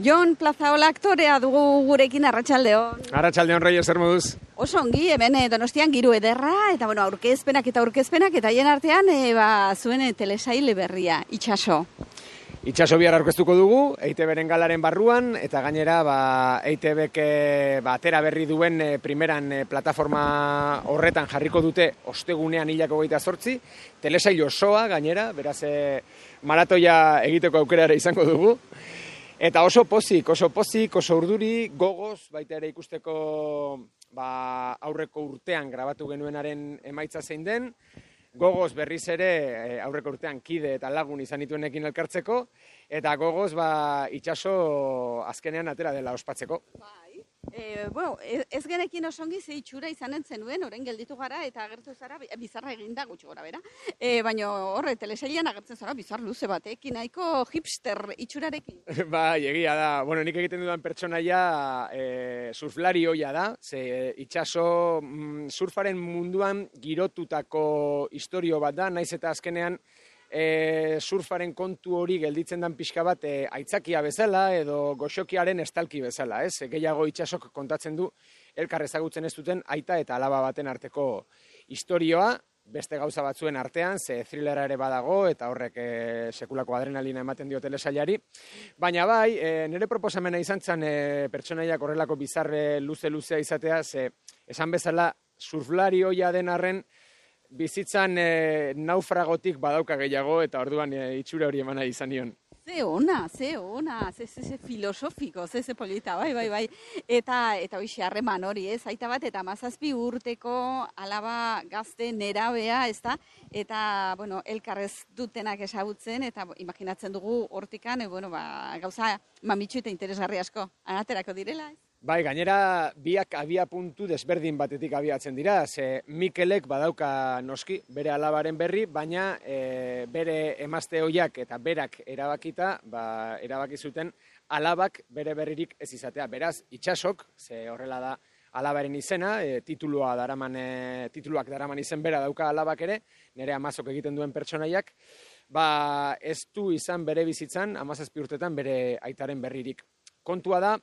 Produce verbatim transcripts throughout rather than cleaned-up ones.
Jon Plazaola aktorea dugu gurekin, arratsaldeon. Arratsaldeon, Reyes, zer moduz? Oso ongi, hemen eh, Donostian giru ederra, eta bueno, aurkezpenak eta aurkezpenak, eta haien artean eh, ba, zuen eh, telesail berria, Itxaso. Itxaso bihar aurkeztuko dugu, E I Te Beren galaren barruan, eta gainera ba, E I Te Bek ba, atera berri duen e, primeran e, plataforma horretan jarriko dute ostegunean hilako hogeita zortzi, telesail osoa gainera, beraz e, maratoia egiteko aukera ere izango dugu. Eta oso pozik, oso pozik, oso urduri, gogoz, baita ere ikusteko ba, aurreko urtean grabatu genuenaren emaitza zein den, gogoz berriz ere aurreko urtean kide eta lagun izan dituenekin elkartzeko, eta gogoz ba, Itxaso azkenean atera dela ospatzeko. Bai. E, bueno, ez genekin osongi ze itxura izanen zenuen, orain gelditu gara eta agertu zara, bizarra eginda gutxi gora bera. E, Baina horre, telesailean agertzen zara bizar luze batekin, nahiko hipster itxurarekin. Bai, egia da. Bueno, nik egiten dudan pertsonaia e, surflari hoia da, ze Itxaso mm, surfaren munduan girotutako istorio bat da, naiz eta azkenean E, surfaren kontu hori gelditzen dan pixka bat e, aitzakia bezala edo goxokiaren estalki bezala, ez? E, gehiago Itxasok kontatzen du elkar ezagutzen ez duten aita eta alaba baten arteko istorioa, beste gauza batzuen artean, ze thrillera ere badago eta horrek e, sekulako adrenalina ematen dio telesailari. Baina bai, e, nire proposamena izan zen e, pertsonaiak horrelako bizarre luze-luzea izatea, ze esan bezala surflari hoia den arren, bizitzan e, naufragotik badauka gehiago eta orduan e, itxura hori emana izan nion. Ze ona, ze ona, ze, ze, ze filosofiko, ze, ze polita, bai, bai, bai. Eta, eta hoxe harreman hori, ez? Aita bat, eta mazazpi urteko alaba gazte nerabea, ez da? Eta, bueno, elkarrez dutenak esagutzen, eta imaginatzen dugu hortikan, e, bueno, ba, gauza mamitxu eta interesgarri asko, aterako direla, ez? Bai, gainera biak abia puntu desberdin batetik abiatzen dira, ze Mikelek badauka noski bere alabaren berri, baina e, bere emazte hoiak eta berak erabakita, ba, erabaki zuten alabak bere berririk ez izatea. Beraz, Itxasok, ze horrela da alabaren izena, e, titulua daraman, e, tituluak daraman izen bera dauka alabak ere, nire amazok egiten duen pertsonaiak, ba, ez du izan bere bizitzan, amazazpi urtetan bere aitaren berririk. Kontua da,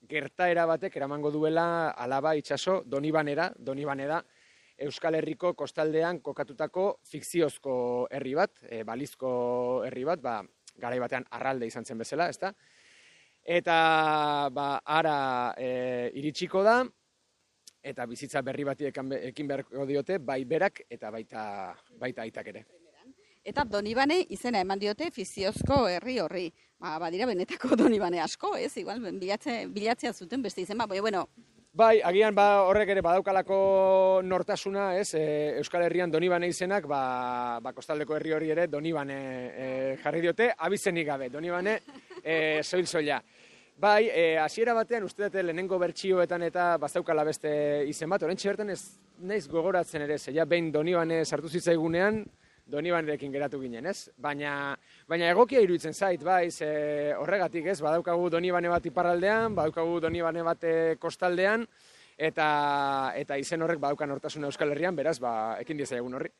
gertaera batek eramango duela alaba Itxaso Donibanera, Donibane da Euskal Herriko kostaldean kokatutako fikziozko herri bat, e, balizko herri bat, ba, garai batean arralde izan zen bezala, ezta? Eta ba, ara e, iritsiko da, eta bizitza berri bati ekin beharko diote, bai berak eta baita, baita aitak ere. Eta Donibane izena eman diote fikziozko herri horri. Ba, badira benetako Donibane asko, ez? Igual bilatze, bilatzea zuten beste izen, ba, bueno. Bai, agian ba, horrek ere badaukalako nortasuna, ez? E, Euskal Herrian Donibane izenak, ba, ba kostaldeko herri hori ere Donibane e, jarri diote, abizenik gabe, Donibane e, soil-soila. Bai, hasiera batean uste dute lehenengo bertsioetan eta bazaukala beste izen bat, oraintxe bertan ez naiz gogoratzen ere, zeia behin Donibane sartu zitzaigunean, Donibanerekin geratu ginen, ez? Baina, baina egokia iruditzen zait, bai, ze horregatik, ez? Badaukagu Donibane bat iparraldean, badaukagu Donibane bat kostaldean, eta eta izen horrek badaukan hortasuna Euskal Herrian, beraz, ba, ekin diezaiogun horri.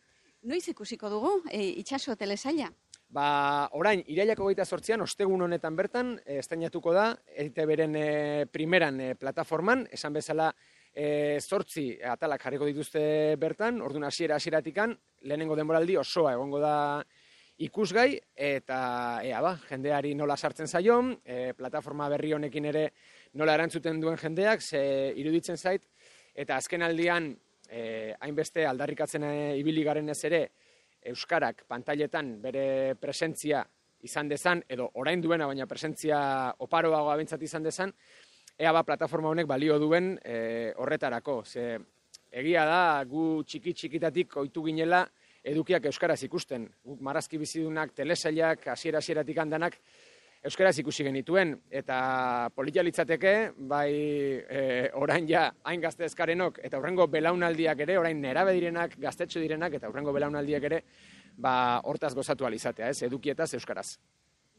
Noiz ikusiko dugu, e, Itxaso telesaila? Ba, orain, irailako hogeita zortzian, ostegun honetan bertan, estreinatuko da, E I Te Beren e, primeran e, plataforman, esan bezala, E, zortzi atalak jarriko dituzte bertan, orduan hasiera hasieratikan lehenengo denboraldi osoa egongo da ikusgai, eta ea ba, jendeari nola sartzen zaion, e, plataforma berri honekin ere nola erantzuten duen jendeak, ze iruditzen zait, eta azken aldian e, hainbeste aldarrikatzen e, ibili garen ez ere, Euskarak pantailetan bere presentzia izan dezan, edo orain duena, baina presentzia oparoagoa bentsat izan dezan, ea ba, plataforma honek balio duen e, horretarako. Ze, egia da, gu txiki-txikitatik ohitu ginela edukiak euskaraz ikusten. Guk marrazki bizidunak, telesailak, hasiera-hasieratik handanak euskaraz ikusi genituen. Eta politia litzateke, bai e, orain ja hain gazte ezkarenok, eta hurrengo belaunaldiak ere, orain nerabe direnak, gaztetxo direnak, eta hurrengo belaunaldiak ere, ba, hortaz gozatu alizatea, ez, edukietaz euskaraz.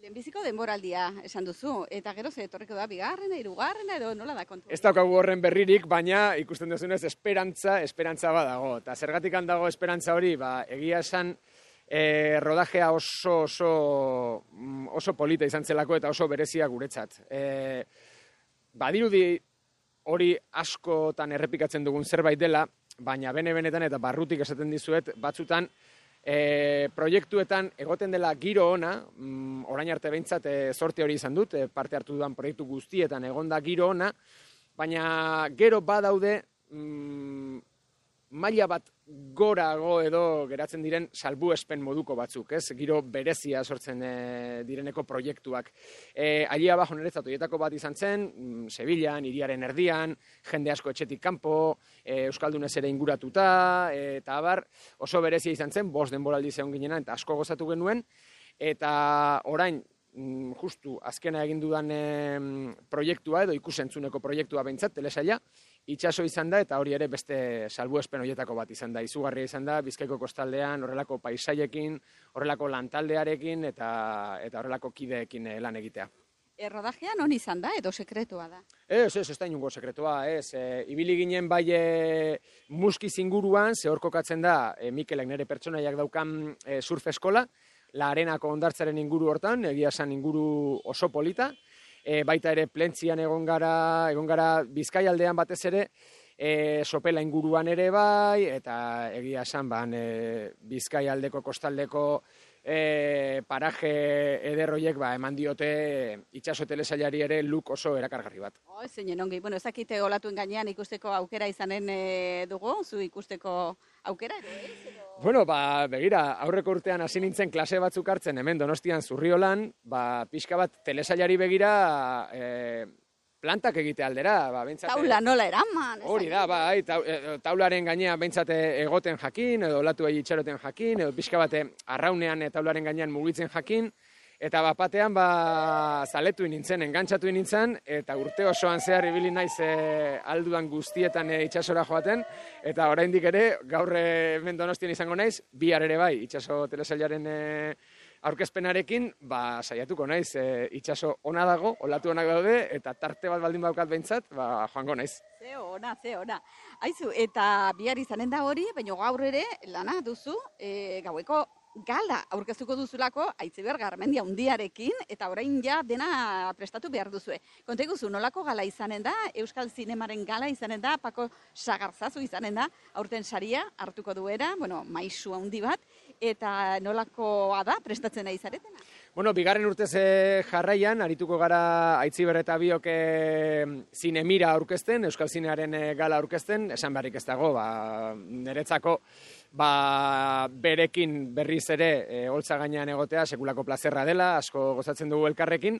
Lehenbiziko denboraldia esan duzu, eta gero ze etorriko da bigarrena, hirugarrena edo nola da kontu? Ez daukagu horren berririk, baina ikusten duzunez esperantza, esperantza badago. Eta zergatik handago esperantza hori, ba, egia esan E, rodajea oso, oso, oso polita izan zelako eta oso berezia guretzat. E, badirudi hori askotan errepikatzen dugun zerbait dela, baina bene-benetan eta barrutik esaten dizuet, batzutan e, proiektuetan egoten dela giro ona, mm, orain arte behintzat e, zorte hori izan dut, e, parte hartu dudan proiektu guztietan egonda giro ona, baina gero badaude mm, maila bat gorago edo geratzen diren salbuespen moduko batzuk, ez? Giro berezia sortzen e, direneko proiektuak. E, Allí abajo niretzat horietako bat izan zen, mm, Sevillan, hiriaren erdian, jende asko etxetik kanpo, e, Euskaldunez ere inguratuta, e, eta abar, oso berezia izan zen, bost denboraldi zeon ginena, eta asko gozatu genuen, eta orain, mm, justu azkena egin dudan e, proiektua edo ikusentzuneko proiektua behintzat, telesaila, itxaso izan da, eta hori ere beste salbuespen horietako bat izan da. Izugarria izan da, Bizkaiko kostaldean, horrelako paisaiekin, horrelako lantaldearekin, eta, eta horrelako kideekin lan egitea. Errodajea non izan da, edo sekretua da? Ez, ez, ez da inungo sekretua, ez. E, ibili ginen bai e, muskiz inguruan, ze hor kokatzen da, e, Mikelek nire pertsonaiak daukan e, surf eskola, La Arenako hondartzaren inguru hortan, egia esan inguru oso polita, e, baita ere Plentzian egon gara, egon gara Bizkaialdean batez ere, e, Sopela inguruan ere bai, eta egia esan ban, e, Bizkaialdeko kostaldeko e, paraje ederroiek ba, eman diote itxaso telesailari ere look oso erakargarri bat. Oh, zeinen ongi, bueno, ez dakite olatuen gainean ikusteko aukera izanen e, dugu, zu ikusteko aukera edo ez? Edo... Bueno, ba, begira, aurreko urtean hasi nintzen klase batzuk hartzen hemen Donostian Zurriolan, ba, pixka bat telesailari begira e, plantak egite aldera. Ba, bentsate, taula nola eraman. Hori da, ba, ai, taularen gainean bentsate egoten jakin, edo olatu egi itxaroten jakin, edo pixka bate arraunean taularen gainean mugitzen jakin, eta bapatean ba, zaletu nintzen, engantzatu nintzen, eta urte osoan zehar ibili naiz e, alduan guztietan e, itxasora joaten, eta oraindik ere, gaur hemen Donostian izango naiz, bihar ere bai, itxaso telesailaren e, aurkezpenarekin, ba, saiatuko naiz, e, itxaso ona dago, olatu onak daude, eta tarte bat baldin baukat behintzat, ba, joango naiz. Ze ona, ze ona. Aizu, eta bihar izanen da hori, baina gaur ere, lana duzu, e, gaueko gala aurkeztuko duzulako Aitziber Garmendia hundiarekin, eta orain ja dena prestatu behar duzue. Konta iguzu, nolako gala izanen da, Euskal Zinemaren gala izanen da, Pako Sagarzazu izanen da, aurten saria hartuko duera, bueno, maisu handi bat, eta nolakoa da prestatzen nahi zaretena? Bueno, bigarren urtez jarraian, arituko gara Aitziber eta biok zinemira aurkezten, Euskal Zinearen gala aurkezten, esan beharrik ez dago, ba, niretzako ba, berekin berriz ere e, holtza gainean egotea sekulako plazerra dela, asko gozatzen dugu elkarrekin,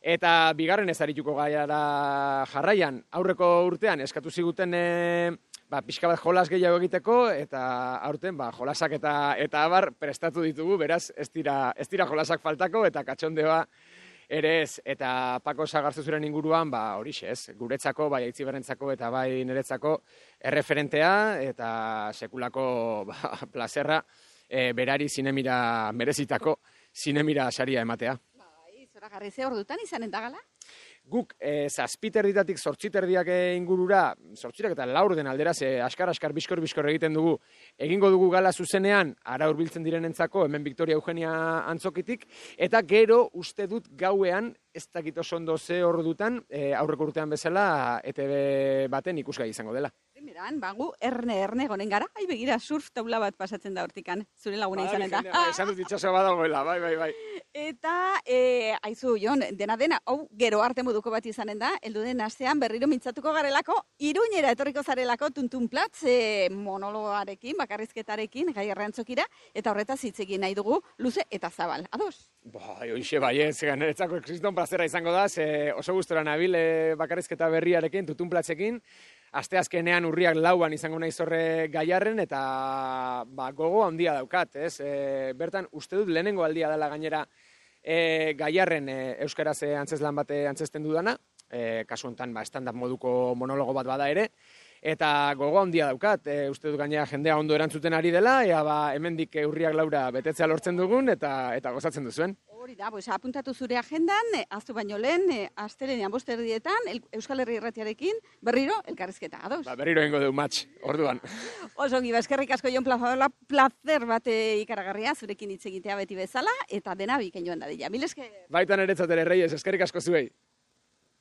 eta bigarren ez arituko gara jarraian, aurreko urtean eskatu ziguten e, ba, pixka bat jolas gehiago egiteko, eta aurten ba, jolasak eta eta abar prestatu ditugu, beraz ez dira, ez dira jolasak faltako, eta katxondeoa ere ez, eta Pako Sagarzuzuren inguruan, ba, horixe ez, guretzako, bai Aitziberrentzako eta bai niretzako erreferentea, eta sekulako ba, plazerra e, berari zinemira merezitako zinemira saria ematea. Bai, zoragarri ze ordutan izanen da gala? Guk e, zazpiterritatik zortziterdiak ingurura, zortzirak eta laurden aldera, ze askar-askar biskor-biskor egiten dugu, egingo dugu gala zuzenean, ara hurbiltzen direnentzako, hemen Victoria Eugenia antzokitik, eta gero uste dut gauean, ez dakit oso ondo ze ordutan, e, aurreko urtean bezala, E T B baten ikusgai izango dela. Primeran, bagu, erne-erne gonen gara, ai begira surf taula bat pasatzen da hortikan, zure laguna izanen da. Ba, esan dut itxasoa badagoela, bai, bai, bai. Eta, e, aizu, Jon, dena dena, hau, gero arte moduko bat izanen da, heldu den astean berriro mintzatuko garelako, Iruñera etorriko zarelako tuntunplatz e, monologarekin, bakarrizketarekin, gai errantzokira, eta horretaz hitz egin nahi dugu, luze eta zabal. Ados? Bai, hoxe bai, ez, niretzako kriston plazera izango da, ze oso gustora nabil e, bakarrizketa berriarekin, tuntunplatzekin, asteazkenean urriak lauan izango naiz horre gaiarren, eta ba, gogo handia daukat, ez? E, bertan, uste dut lehenengo aldia dela gainera e, gaiarren e, euskaraz antzeslan bate antzesten dudana, e, kasu honetan ba, stand-up moduko monologo bat bada ere, eta gogo handia daukat, e, uste dut gainera jendea ondo erantzuten ari dela, ea ba, hemendik urriak laura betetzea lortzen dugun, eta eta gozatzen duzuen. Hori da, pues, apuntatu zure agendan, eh, aztu baino lehen, eh, astelenean bost erdietan, el, Euskal Herri Irratiarekin, berriro, elkarrizketa, ados? Ba, berriro egingo du match, orduan. Oso ongi, eskerrik asko Jon Plazaola, placer bate ikaragarria, zurekin hitz egitea beti bezala, eta dena bikain joan dadila. Mil esker. Baitan eretzat ere, Reyes, eskerrik asko zuei.